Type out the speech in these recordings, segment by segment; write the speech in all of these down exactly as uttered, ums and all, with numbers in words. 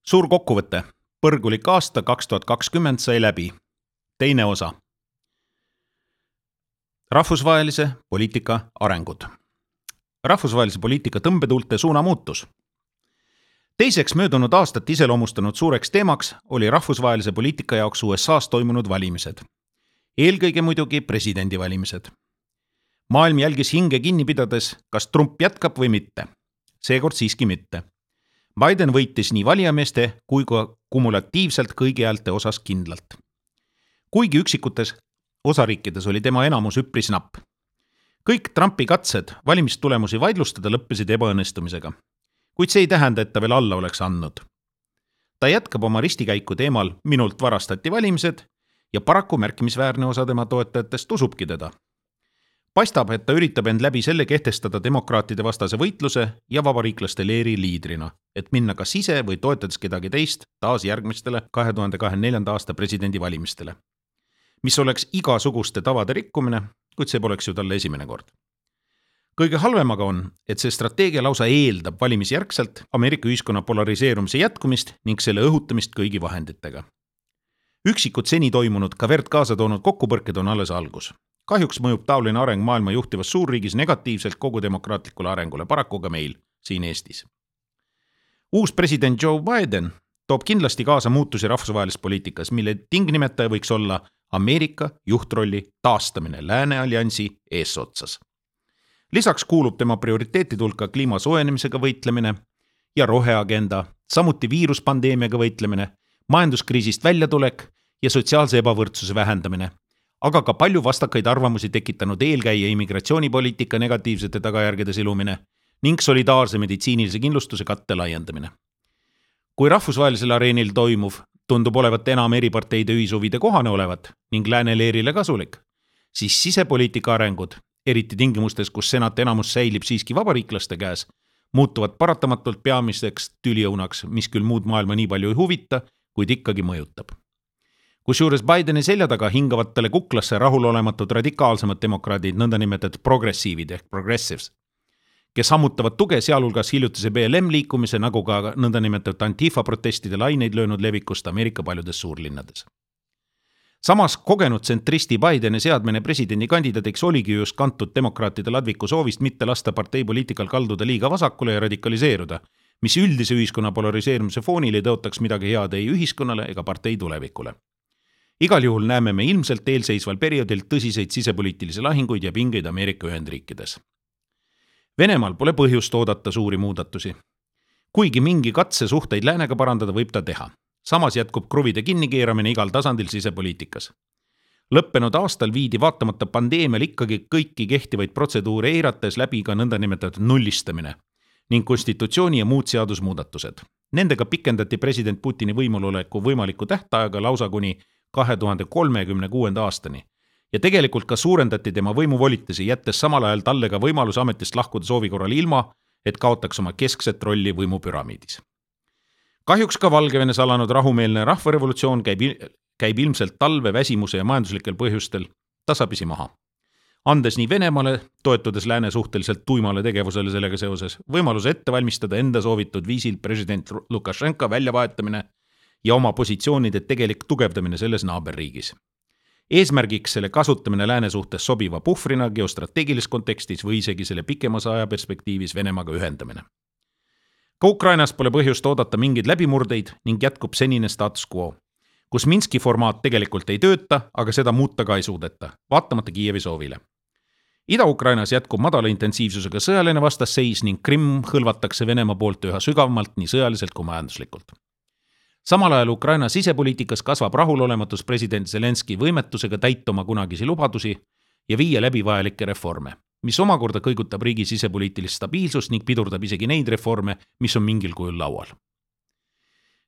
Suur kokkuvõte. Põrgulik aasta kaks tuhat kakskümmend sai läbi. Teine osa. Rahvusvahelise poliitika arengud. Rahvusvahelise poliitika tõmbetuulte suuna muutus. Teiseks möödunud aastat iseloomustanud suureks teemaks oli rahvusvahelise poliitika jaoks U S A's toimunud valimised. Eelkõige muidugi presidendivalimised. Maailm jälgis hinge kinni pidades, kas Trump jätkab või mitte. Seekord siiski mitte. Biden võitis nii valijameeste kui ka kumulatiivselt kõigi häälte osas kindlalt. Kuigi üksikutes osariikides oli tema enamus üpris napp. Kõik Trumpi katsed valimistulemusi vaidlustada lõppesid ebaõnnestumisega, kuid see ei tähenda, et ta veel alla oleks andnud. Ta jätkab oma ristikäiku teemal minult varastati valimised ja paraku märkimisväärne osa tema toetajatest usubki teda. Paistab, et ta üritab end läbi selle kehtestada demokraatide vastase võitluse ja vabariiklaste leeri liidrina, et minna kas ise või toetades kedagi teist taas järgmistele kahe tuhande kahekümne neljanda aasta presidendivalimistele. Mis oleks igasuguste tavade rikkumine, kuid see poleks ju talle esimene kord. Kõige halvemaga on, et see strateegia lausa eeldab valimisjärgselt Ameerika ühiskonna polariseerumise jätkumist ning selle õhutamist kõigi vahenditega. Üksikud seni toimunud ka verd kaasa toonud kokkupõrked on alles algus. Kahjuks mõjub taoline areng maailma juhtivas suurriigis negatiivselt kogu demokraatlikule arengule, paraku ka meil, siin Eestis. Uus president Joe Biden toob kindlasti kaasa muutusi rahvusvahelises poliitikas, mille tingnimetaja võiks olla Ameerika juhtrolli taastamine Lääne alliansi eesotsas. Lisaks kuulub tema prioriteetide hulka kliima soojenemisega võitlemine ja roheagenda, samuti viiruspandeemiaga võitlemine, majanduskriisist väljatulek ja sotsiaalse ebavõrdsuse vähendamine, aga ka palju vastakaid arvamusi tekitanud eelkäija immigratsioonipoliitika negatiivsete tagajärgede silumine ning solidaarse meditsiinilise kindlustuse katte laiendamine. Kui rahvusvahelisel areenil toimuv tundub olevat enam eri parteide ühishuvide kohane olevat ning lääne leerile kasulik, siis sisepoliitika arengud, eriti tingimustes, kus senat enamus säilib siiski vabariiklaste käes, muutuvad paratamatult peamiseks tüliõunaks, mis küll muud maailma nii palju ei huvita, kuid ikkagi mõjutab. Kusjuures Bideni selja taga hingavatele kuklasse rahulolematud radikaalsemad demokraadid, nõndanimetatud progressiivid ehk progressives, kes sammutavad tuge sealhulgas hiljutise B L M liikumise nagu ka nõndanimetatud Antifa protestide laineid löönud levikust Ameerika paljudes suurlinnades. Samas kogenud tsentristi Bideni seadmine presidendi kandidaadiks oligi just kantud demokraatide ladviku soovist mitte lasta parteipoliitikal kalduda liiga vasakule ja radikaliseeruda, mis üldise ühiskonna polariseerumise foonil ei tõotaks midagi head ei ühiskonnale ega partei tulevikule. Igal juhul näeme me ilmselt eelseisval perioodil tõsiseid sisepoliitilisi lahinguid ja pingeid Ameerika Ühendriikides. Venemaal pole põhjust oodata suuri muudatusi. Kuigi mingi katse suhteid läänega parandada võib ta teha. Samas jätkub kruvide kinnikeeramine igal tasandil sisepoliitikas. Lõppenud aastal viidi vaatamata pandeemial ikkagi kõiki kehtivaid protseduure eirates läbi ka nõndanimetatud nullistamine ning konstitutsiooni ja muud seadusmuudatused. Nendega pikendati president Putini võimuloleku võimaliku tähtaega lausa kuni kahe tuhande kolmekümne kuuenda aastani ja tegelikult ka suurendati tema võimuvolitusi, jättes samal ajal talle ka võimalus ametist lahkuda soovi korral ilma, et kaotaks oma keskset rolli võimupüramiidis. Kahjuks ka Valgevenes alanud rahumeelne rahvarevolutsioon käib, käib ilmselt talve väsimuse ja majanduslikel põhjustel tasapisi maha. Andes nii Venemaale, toetudes lääne suhteliselt tuimale tegevusele sellega seoses, võimaluse ette valmistada enda soovitud viisil president Lukašenka väljavahetamine ja oma positsioonide tegelik tugevdamine selles naaberriigis. Eesmärgiks selle kasutamine lääne suhtes sobiva puhvrina geostrateegilises kontekstis või isegi selle pikemas ajaperspektiivis Venemaaga ühendamine. Ka Ukrainas pole põhjust oodata mingeid läbimurdeid ning jätkub senine status quo, kus Minski formaat tegelikult ei tööta, aga seda muuta ka ei suudeta, vaatamata Kiievi soovile. Ida-Ukrainas jätkub madala intensiivsusega sõjaline vastasseis ning Krimm hõlvatakse Venemaa poolt üha sügavamalt nii sõjaliselt kui majanduslikult. Samal ajal Ukraina sisepoliitikas kasvab rahulolematus president Zelenski võimetusega täita oma kunagisi lubadusi ja viia läbi vajalikke reforme, mis omakorda kõigutab riigi sisepoliitilist stabiilsust ning pidurdab isegi neid reforme, mis on mingil kujul laual.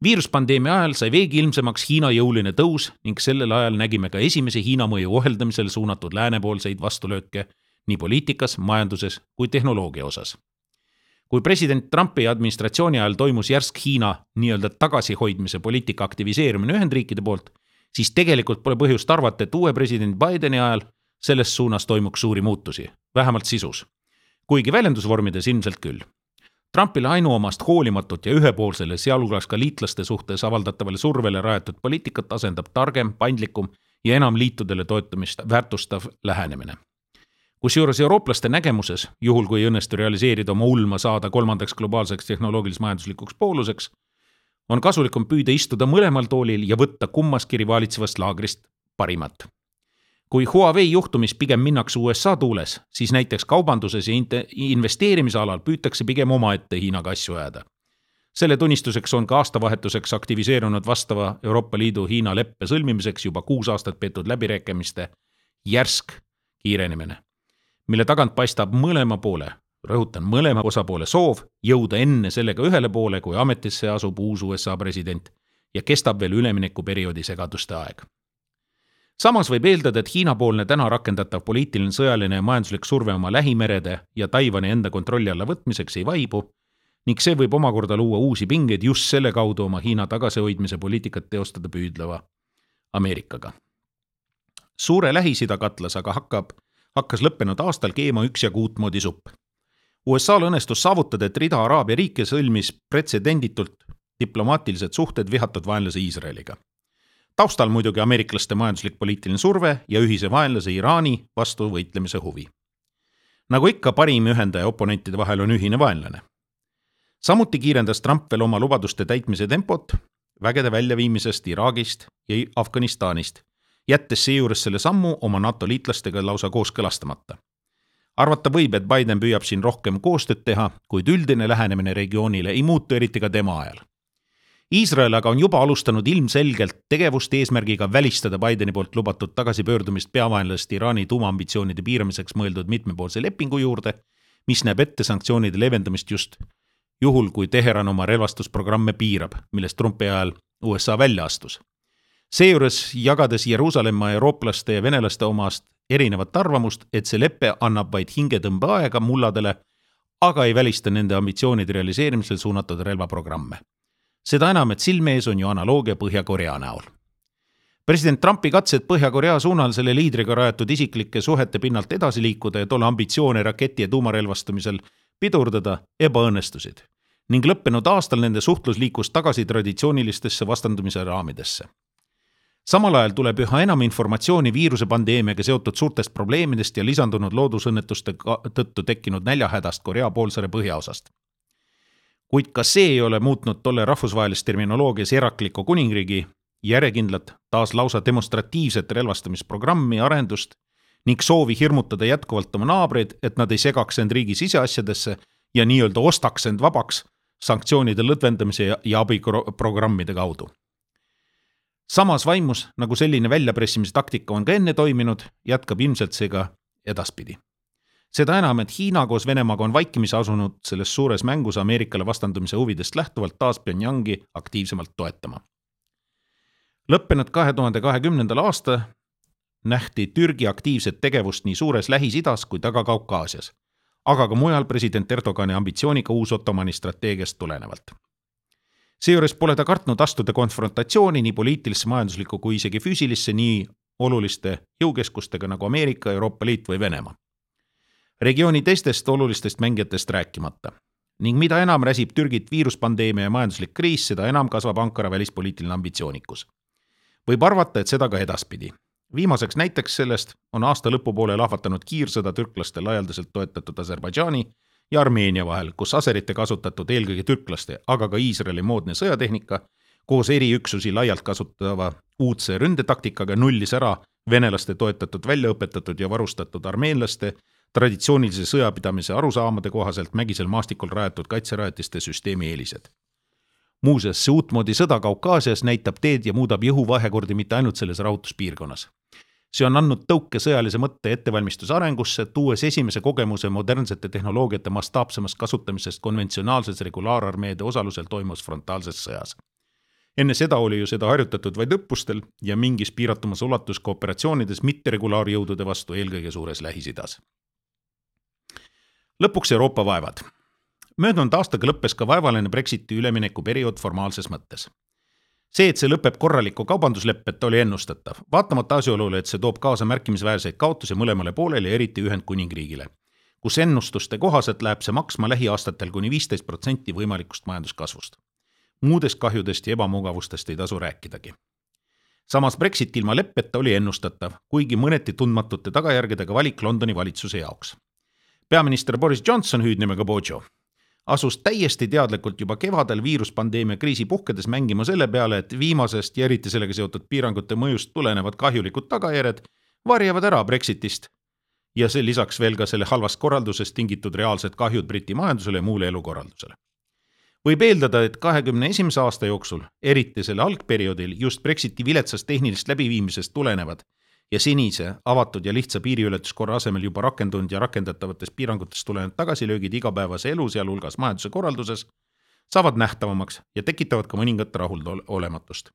Viiruspandeemia ajal sai veegi ilmsemaks Hiina jõuline tõus ning sellel ajal nägime ka esimese Hiina mõju oheldamisel suunatud läänepoolseid vastulööke nii poliitikas, majanduses kui tehnoloogia osas. Kui president Trumpi administratsiooni ajal toimus järsk Hiina nii-öelda tagasihoidmise poliitika aktiviseerimine Ühendriikide poolt, siis tegelikult pole põhjust arvata, et uue president Bideni ajal selles suunas toimuks suuri muutusi, vähemalt sisus. Kuigi väljendusvormides ilmselt küll. Trumpile ainuomast hoolimatut ja ühepoolsele, sealhulgas ka liitlaste suhtes avaldatavale survele rajatud poliitikat asendab targem, paindlikum ja enam liitudele toetamist väärtustav lähenemine. Kusjuures eurooplaste nägemuses, juhul kui õnnestu realiseerida oma ulma saada kolmandaks globaalseks tehnoloogilis-majanduslikuks pooluseks, on kasulikum püüda istuda mõlemal toolil ja võtta kummaski rivalitsevast laagrist parimat. Kui Huawei juhtumis pigem minnakse U S A tuules, siis näiteks kaubanduses ja investeerimise alal püütakse pigem omaette Hiinaga asju ajada. Selle tunnistuseks on ka aastavahetuseks aktiviseerunud vastava Euroopa Liidu Hiina leppe sõlmimiseks juba kuus aastat peetud läbirääkimiste järsk kiirenemine, mille tagant paistab mõlema poole, rõhutan mõlema osapoole soov jõuda enne sellega ühele poole, kui ametisse asub uus U S A president ja kestab veel üleminekuperioodi segaduste aeg. Samas võib eeldada, et Hiina-poolne täna rakendatav poliitiline, sõjaline ja majanduslik surve oma lähimerede ja Taiwani enda kontrolli alla võtmiseks ei vaibu ning see võib omakorda luua uusi pingeid just selle kaudu oma Hiina tagasihoidmise poliitikat teostada püüdleva Ameerikaga. Suure Lähis-Ida katlas aga hakkab, hakkas lõppenud aastal keema üksjagu uutmoodi supp. U S A-l õnnestus saavutada, et rida Araabia riike sõlmis pretsedenditult diplomaatilised suhted vihatud vaenlase Iisraeliga. Taustal muidugi ameeriklaste majanduslik poliitiline surve ja ühise vaenlase Iraani vastu võitlemise huvi. Nagu ikka, parim ühendaja oponentide vahel on ühine vaenlane. Samuti kiirendas Trump veel oma lubaduste täitmise tempot vägede väljaviimisest Iraagist ja Afganistanist, jättes seejuures selle sammu oma NATO liitlastega lausa kooskõlastamata. Arvata võib, et Biden püüab siin rohkem koostööd teha, kuid üldine lähenemine regioonile ei muutu eriti ka tema ajal. Iisrael aga on juba alustanud ilmselgelt tegevust eesmärgiga välistada Bideni poolt lubatud tagasipöördumist peavaenlasest Iraani tuumaambitsioonide piiramiseks mõeldud mitmepoolse lepingu juurde, mis näeb ette sanktsioonide leevendamist just juhul, kui Teheran oma relvastusprogramme piirab, millest Trumpi ajal U S A välja astus. Seejuures jagades Jeruusalemma eurooplaste ja venelaste omast erinevat arvamust, et see leppe annab vaid hingetõmbe aega mulladele, aga ei välista nende ambitsioonide realiseerimisel suunatud relvaprogramme. Seda enam, et silme ees on ju analoogia Põhja-Korea näol. President Trumpi katsed Põhja-Korea suunal selle liidriga rajatud isiklike suhete pinnalt edasi liikuda ja tolle ambitsioone raketi ja tuumarelvastamisel pidurdada ebaõnnestusid ning lõppenud aastal nende suhtlus liikus tagasi traditsioonilistesse vastandumise raamidesse. Samal ajal tuleb üha enam informatsiooni viiruse pandeemiaga seotud suurtest probleemidest ja lisandunud loodusõnnetuste tõttu tekkinud näljahädast Korea poolsaare põhjaosast. Kuid ka see ei ole muutnud tolle rahvusvahelist terminoloogias erakliku kuningriigi järjekindlat taas lausa demonstratiivset relvastamisprogrammi arendust ning soovi hirmutada jätkuvalt oma naabreid, et nad ei segaks end riigi siseasjadesse ja nii-öelda ostaks end vabaks sanktsioonide lõdvendamise ja abiprogrammide kaudu. Samas vaimus, nagu selline väljapressimise taktika on ka enne toiminud, jätkab ilmselt see ka edaspidi. Seda enam, et Hiina koos Venemaaga on vaikimise asunud selles suures mängus Ameerikale vastandumise huvidest lähtuvalt taas Pyongyangi aktiivsemalt toetama. Lõppenud kahe tuhande kahekümnendal aasta nähti Türgi aktiivset tegevust nii suures Lähis-Idas kui taga Kaukaasias, aga ka mujal president Erdogani ambitsiooniga uus Ottomani strateegiast tulenevalt. Seejuures pole ta kartnud astuda konfrontatsiooni nii poliitilisse, majanduslikku kui isegi füüsilisse nii oluliste jõukeskustega nagu Ameerika, Euroopa Liit või Venemaa. Regiooni teistest olulistest mängijatest rääkimata. Ning mida enam räsib Türgit viiruspandeemia ja majanduslik kriis, seda enam kasvab Ankara välispoliitiline ambitsioonikus. Võib arvata, et seda ka edaspidi. Viimaseks näiteks sellest on aasta lõpupoole lahvatanud kiirsõda türklaste laialdaselt toetatud Aserbaidžaani ja Armeenia vahel, kus aserite kasutatud eelkõige türklaste, aga ka Iisraeli moodne sõjatehnika koos eriüksusi laialt kasutava uudse ründetaktikaga nullis ära venelaste toetatud väljaõpetatud ja varustatud armeenlaste traditsioonilise sõjapidamise arusaamade kohaselt mägisel maastikul rajatud kaitserajatiste süsteemi eelised. Muuseas, see uutmoodi sõda Kaukaasias näitab teed ja muudab jõhuvahekordi mitte ainult selles rahutuspiirkonnas. See on andnud tõuke sõjalise mõtte ettevalmistuse arengusse, tuues esimese kogemuse modernsete tehnoloogiate mastaapsemast kasutamisest konventsionaalses regulaararmeede osalusel toimus frontaalses sõjas. Enne seda oli ju seda harjutatud vaid õppustel ja mingis piiratumas ulatus kooperatsioonides mitteregulaarjõudude vastu eelkõige suures Lähis-Idas. Lõpuks Euroopa vaevad. Möödunud aastaga lõppes ka vaevaline Brexiti ülemineku periood formaalses mõttes. See, et see lõpeb korraliku kaubandusleppet, oli ennustatav, vaatamata asjaolule, et see toob kaasa märkimisväärseid kaotusi mõlemale poolele ja eriti Ühendkuningriigile, kus ennustuste kohaselt läheb see maksma lähiaastatel kuni viisteist protsenti võimalikust majanduskasvust. Muudest kahjudest ja ebamugavustest ei tasu rääkidagi. Samas Brexit ilma leppeta oli ennustatav, kuigi mõneti tundmatute tagajärgedega valik Londoni valitsuse jaoks. Peaminister Boris Johnson, hüüdnimega Bojo, asus täiesti teadlikult juba kevadel viiruspandeemia kriisi puhkedes mängima selle peale, et viimasest ja eriti sellega seotud piirangute mõjust tulenevad kahjulikud tagajärjed varjavad ära Brexitist ja see lisaks veel ka selle halvast korraldusest tingitud reaalsed kahjud Briti majandusele ja muule elukorraldusele. Võib eeldada, et kahekümne esimese aasta jooksul, eriti selle algperioodil, just Brexiti viletsast tehnilist läbiviimisest tulenevad ja senise avatud ja lihtsa piiriületuskorra asemel juba rakendunud ja rakendatavatest piirangutest tulenevad tagasilöögid igapäevase elu, sealhulgas majanduse korralduses, saavad nähtavamaks ja tekitavad ka mõningat rahulolematust.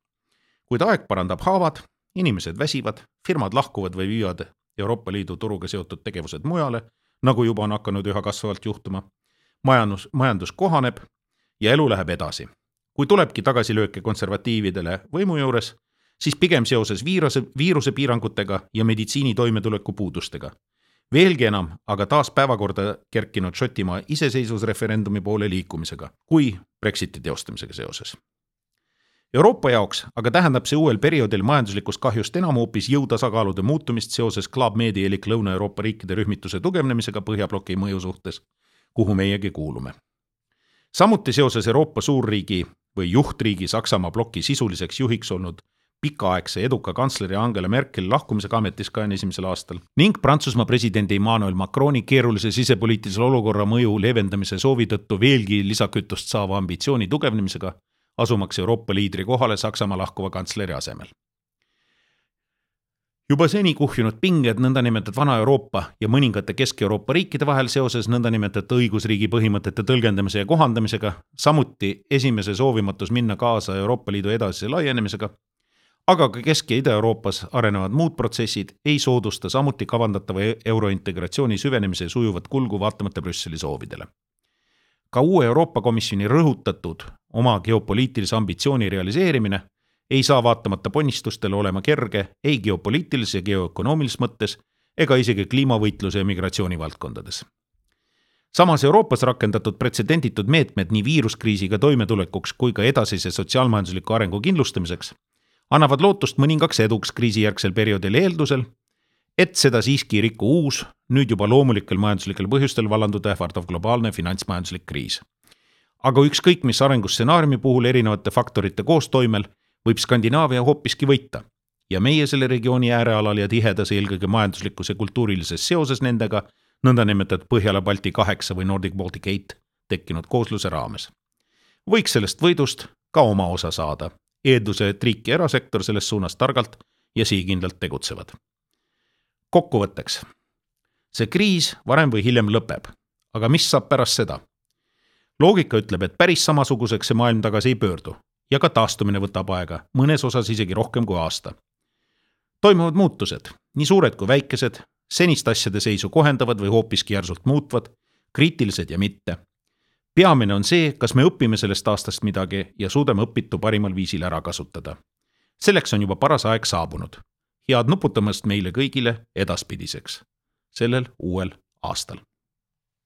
Kuid aeg parandab haavad, inimesed väsivad, firmad lahkuvad või viivad Euroopa Liidu turuga seotud tegevused mujale, nagu juba on hakanud üha kasvavalt juhtuma, majandus, majandus kohaneb ja elu läheb edasi. Kui tulebki tagasilööke konservatiividele võimu juures, siis pigem seoses viiruse, viiruse piirangutega ja meditsiini toimetuleku puudustega. Veelgi enam, aga taas päevakorda kerkinud Šotimaa iseseisvusreferendumi poole liikumisega, kui Brexiti teostamisega seoses. Euroopa jaoks aga tähendab see uuel perioodil majanduslikust kahjust enam hoopis jõutasakaalude muutumist seoses Club Medi elik Lõuna-Euroopa riikide rühmituse tugevnemisega Põhjabloki mõju suhtes, kuhu meiegi kuulume. Samuti seoses Euroopa suurriigi või juhtriigi Saksamaa bloki sisuliseks juhiks olnud pikaaegse eduka kantsleri Angela Merkel lahkumisega ametis kahekümne esimesel aastal ning Prantsusmaa presidendi Emmanuel Macroni keerulise sisepoliitilise olukorra mõju leevendamise soovi tõttu veelgi lisakütust saava ambitsiooni tugevnemisega asumaks Euroopa liidri kohale Saksamaa lahkuva kantsleri asemel. Juba seni kuhjunud pinged nõndanimetatud vana Euroopa ja mõningate Kesk-Euroopa riikide vahel seoses nõndanimetatud õigusriigi põhimõtete tõlgendamise ja kohandamisega, samuti esimese soovimatus minna kaasa Euroopa Liidu edasise laienemisega, aga ka Kesk- ja Ida-Euroopas arenevad muud protsessid ei soodusta samuti kavandatava eurointegratsiooni süvenemise sujuvat kulgu vaatamata Brüsseli soovidele. Ka uue Euroopa Komisjoni rõhutatud oma geopoliitilise ambitsiooni realiseerimine ei saa vaatamata ponnistustele olema kerge ei geopoliitilises ja geoökonoomilises mõttes ega isegi kliimavõitluse ja migratsiooni valdkondades. Samas Euroopas rakendatud pretsedenditud meetmed nii viiruskriisiga toimetulekuks kui ka edasise sotsiaalmajandusliku arengu kindlustamiseks annavad lootust mõningaks eduks kriisijärgsel perioodil eeldusel, et seda siiski riku uus, nüüd juba loomulikel majanduslikel põhjustel vallanduda ähvardav globaalne finantsmajanduslik kriis. Aga ükskõik mis arengustsenaariumi puhul erinevate faktorite koostoimel võib Skandinaavia hoopiski võita ja meie selle regiooni äärealal ja tihedas eelkõige majanduslikus ja kultuurilises seoses nendega nõndanimetatud Põhjala-Balti kaheksa või Nordic Baltic eight tekkinud koosluse raames. Võiks sellest võidust ka oma osa saada, eelduse, et riik ja erasektor selles suunas targalt ja siikindlalt tegutsevad. Kokkuvõtteks. See kriis varem või hiljem lõpeb, aga mis saab pärast seda? Loogika ütleb, et päris samasuguseks see maailm tagasi ei pöördu ja ka taastumine võtab aega, mõnes osas isegi rohkem kui aasta. Toimuvad muutused, nii suured kui väikesed, senist asjade seisu kohendavad või hoopiski järsult muutvad, kriitilised ja mitte. Peamine on see, kas me õpime sellest aastast midagi ja suudame õpitu parimal viisil ära kasutada. Selleks on juba paras aeg saabunud. Head nuputamast meile kõigile edaspidiseks, sellel uuel aastal.